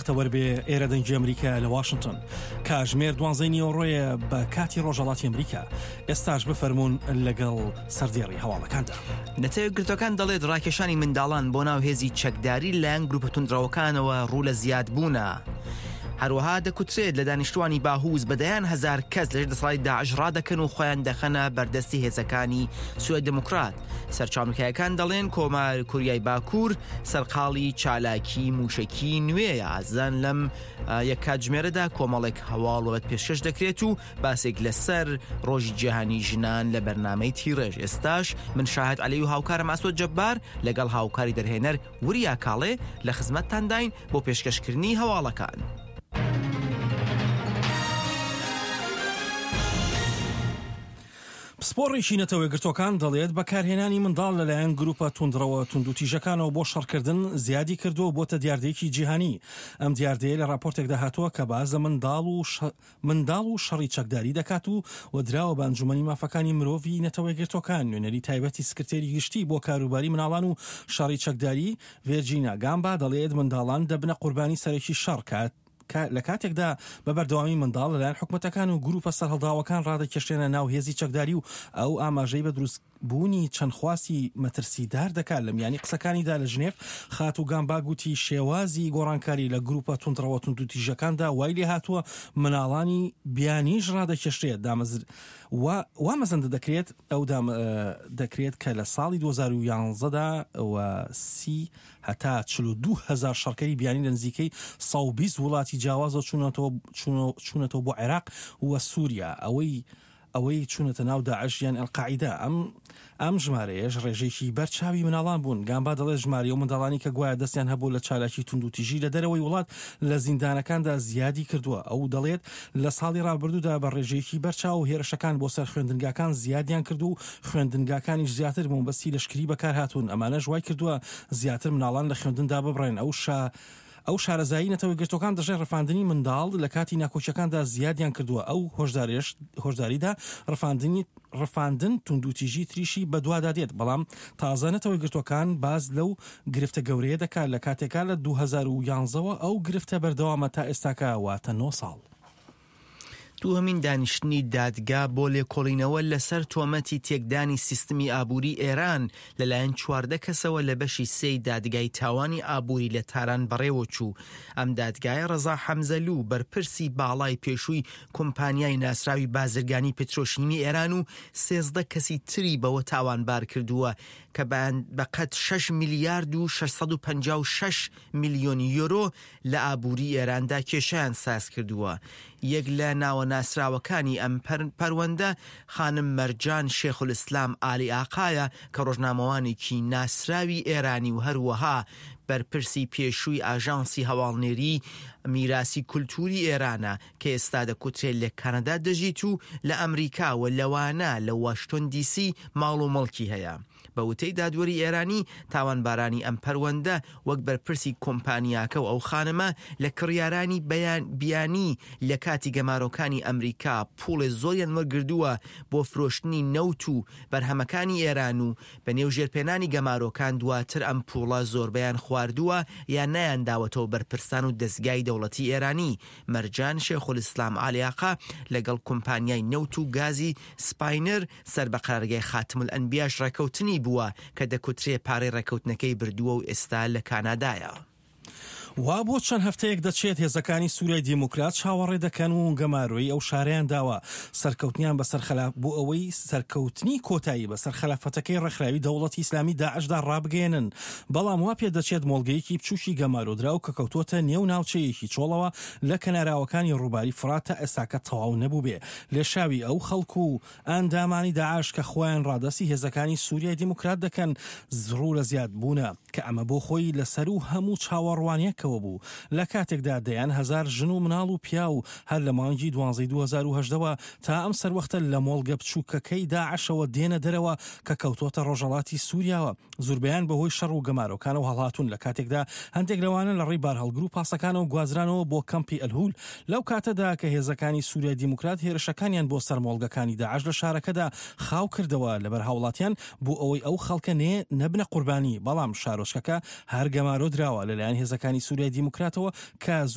بەختەوەر بێ ئێرە دەنگی ئەمریکا لە واشنتۆن کاژمێر دوانزەی نیوەڕۆیە بە کاتی ڕۆژهەڵاتی ئەمریکا ئێستاش بفەرموون لەگەڵ سەردێڕی هەواڵەکاندا. نەتەوە یەکگرتووەکان دەڵێت ڕاکێشانی منداڵان بۆ ناو هێزی چەکداری لەلایەن گروپە توندڕەوەکانەوە ڕوو لە زیادبوونە. هەروەها دەکوترێت لە دانیشتوانی باهوز بە دەیان هەزار کەس لەژێر دەسەڵاتی داعش ڕادەکەن و خۆیان دەخەنە بەردەستی هێزەکانی سوریای دیموکرات. سەرچاوە ئەمریکایەکان دەڵێن کۆمار کوریای باکوور سەرقاڵی چالاکی موشەکی نوێیە. ئازیزان لەم یەک کاتژمێرەدا کۆمەڵێک هەواڵ وەت پێشکەش دەکرێت و باسێک لەسەر ڕۆژی جیهانی ژنان لە بەرنامەی تیڕێژ ئێستاش من شاهد عەلی و هاوکارم ئاسۆ جەبار لەگەڵ هاوکاری دەرهێنەر وریا کاڵێ لە خزمەتتانداین بۆ پێشکەشکردنی هەواڵەکان. پسپۆڕێکی نەتەوەیەکگرتووەکان دەڵێت، بەکارهێنانی منداڵ لەلایەن گروپە توندڕەوە توندوتیژەکانەوە بۆ شەڕکردن زیادی کردووە و بۆتە دیاردەیەکی جیهانی. ئەم دیاردەیە لە راپۆرتێکدا هاتووە کە باس لە منداڵ و منداڵ و شەڕی چەکداری دەکات و و دراوە بە ئەنجومەنی مافەکانی مرۆڤی نەتەوەیەکگرتووەکان. نوێنەری تایبەتی سکرتێری گشتی بۆ کاروباری مناڵان و شەڕی چەکداری، ڤێرجینا گامبا دەڵێت، منداڵان دەبنە قوربانی سەرەکی شەڕ کە لە کاتێکدا بە بەردەوامی منداڵ لەلایەن حکومەتەکان و گروپە سەرهەڵداوەکان ڕادەکێشرێنە ناو هێزی چەکداری و ئەو ئاماژەی بە دروست بوونی چەند خواستی مەترسیدار دەکات. لە میانی قسەکانیدا لە ژنێف، خاتوو گامبا گوتی شێوازی گۆڕانکاری لە گروپە توندڕەوە توندوتیژەکاندا وای لێهاتووە مناڵانی بیانیش ڕادەکێشرێت دامەزر وا مەزەندە دەکرێت ئەو دەکرێت کە لە ساڵی 2011 دا و سی هەتا 42 هەزار شەڕکەری بیانی لە نزیکەی 120 وڵاتی جیاوازەوە چوونەتەوە بۆ عێراق و سووریا ئەوەی ئەوەی چوونەتە ناو داعش یان ئەلقاعیدە. ئەم ئەم ژمارەیەش ڕێژەیەکی بەرچاوی مناڵان بوون. گامبا دەڵێت ژمارەی ئەو منداڵانی کە گوایە دەستیان هەبووە لە چالاکی توندوتیژی لە دەرەوەی وڵات لە زیندانەکاندا زیادی کردووە. ئەو دەڵێت لە ساڵی ڕابردوودا بە ڕێژەیەکی بەرچاو هێرشەکان بۆ سەر خوێندنگاکان زیادیان کرد و خوێندنگاکانیش زیاتر بۆ مەبەستی لەشکری بەکارهاتوون. ئەمانەش وای کردووە زیاتر مناڵان لە خوێندن داببڕێن. ئەو شا ئەو شارەزایی نەتەوەیەکگرتووەکان دەشڵێت ڕفاندنی منداڵ لە کاتی ناکۆکیەکاندا زیادیان کردووە، ئەو هۆشدارێش هۆشداریدا ڕفاندنی ڕفاندن توندوتیژی تریشی بەدوادا دێت، بەڵام تازە نەتەوەیەکگرتووەکان باس لەو گرفتە گەورەیە دەکات لە کاتێکا لە 2011 وە ئەو گرفتە بەردەوامە تا ئێستاکە واتە نۆ ساڵ. دووهەمین دانیشتنی دادگا بۆ لێکۆڵینەوە لەسەر تۆمەتی تێکدانی سیستمی ئابووری ئێران لەلایەن 14 کەسەوە لە بەشی سێی دادگای تاوانی ئابووری لە تاران بەڕێوەچوو. ئەم دادگایە ڕەزا حەمزەلوو بەرپرسی باڵای پێشووی کۆمپانیای ناسراوی بازرگانی پترۆشیمی ئێران و 13 کەسی تری بەوە تاوانبار کردووە کە بەقەد 6 میلیارد و 656 میلیۆن یۆرۆ لە ئابووری ئێراندا کێشەیان ساز کردووە. یەک لە ناوە ناسراوەکانی ئەم پەروەندە خانم مەرجان شێخولئیسلام ئالی ئاقایە کە ڕۆژنامەوانێکی ناسراوی ئێرانی و هەروەها بەرپرسی پێشووی ئاژانسی هەواڵنێری میراسی کولتووری ئێرانە کە ئێستا دەکوترێت لە کانەدا دەژیت و لە ئەمریکا و لەوانە لە واشتۆن دیسی ماڵ و مڵکی هەیە. بە وتەی دادوەری ئێرانی، تاوانبارانی ئەم پەروەندە وەک بەرپرسی کۆمپانیاکە و ئەو خانمە لە کڕیارانی بیانی لە کاتی گەمارۆکانی ئەمریکا پوڵێ زۆریان وەرگردووە بۆ فرۆشتنی نەوت و بەرهەمەکانی ئێران و بە نێو ژێرپێنانی گەمارۆکان دواتر ئەم پوڵە زۆربەیان خواردووە یان نەیانداوەتەوە بەرپرسان و دەزگای دەوڵەتی ئێرانی. مەرجان شێخولئیسلام عالیاقا لەگەڵ کۆمپانیای نەوت و گازی سپاینر سەر بە قەرارگای خاتمولئەنبیاش ڕێکەوتنی بووە کە دەکوترێ پارەی ڕێکەوتنەکەی بردووە و ئێستا لە کانادایە. وا بۆ چەند هەفتەیەک دەچێت هێزەکانی سوریای دیموکرات چاوەڕێ دەکەن و گەمارۆی ئەو شارەیان داوە سەرکەوتنیان بەسەر خەلا بۆ ئەوەی سەرکەوتنی کۆتایی بەسەر خەلافەتەکەی ڕێکخراوی دەوڵەتی ئیسلامی داعشدا ڕابگەیەنن بەڵام وا پێدەچێت مۆڵگەیەکی بچوکی گەمارۆدراو کە کەوتووەتە نێو ناوچەیەکی چۆڵەوە لە کەناراوەکانی ڕووباری فڕات تا ئێستاکە تەواو نەبووبێ لێشاوی ئەو خەڵک و ئەندامانی داعش کە خۆیان ڕادەستی هێزەکانی سوریای دیموکرات دەکەن ڕوو لە زیاد بوونە کە ئەمە بۆ خۆی لە سەروو هەموو چاوەڕوانیەکەوە بوو لە کاتێکدا دەیان هەزار ژن و مناڵ و پیاو هەر لە مانگی دوانزەی 2018 وە تا ئەم سەروەختە لە مۆڵگە بچووکەکەی داعشەوە دێنە دەرەوە کە کەوتۆتە ڕۆژهەڵاتی سوریاوە زوربەیان بەهۆی شەڕ و گەمارۆکانەوە هەڵهاتوون، لە کاتێکدا هەندێک لەوانە لە ڕێی بارهەڵگر و پاسەکانەوە گوازرانەوە بۆ کەمپی ئەلهول، لەو کاتەدا کە هێزەکانی سوریای دیموکرات هێرشەکانیان بۆ سەر مۆڵگەکانی داعش لە شارەکەدا خاو کردەوە لەبەر هاوڵاتیان بۆ ئەوەی ئەو خەڵکە نێ نەبنە قوربانی، بەڵام شارۆچکەکە هەر گەمارۆ دراوە لەلایەن هێزەکانی سوریای دیموکراتەوە کە.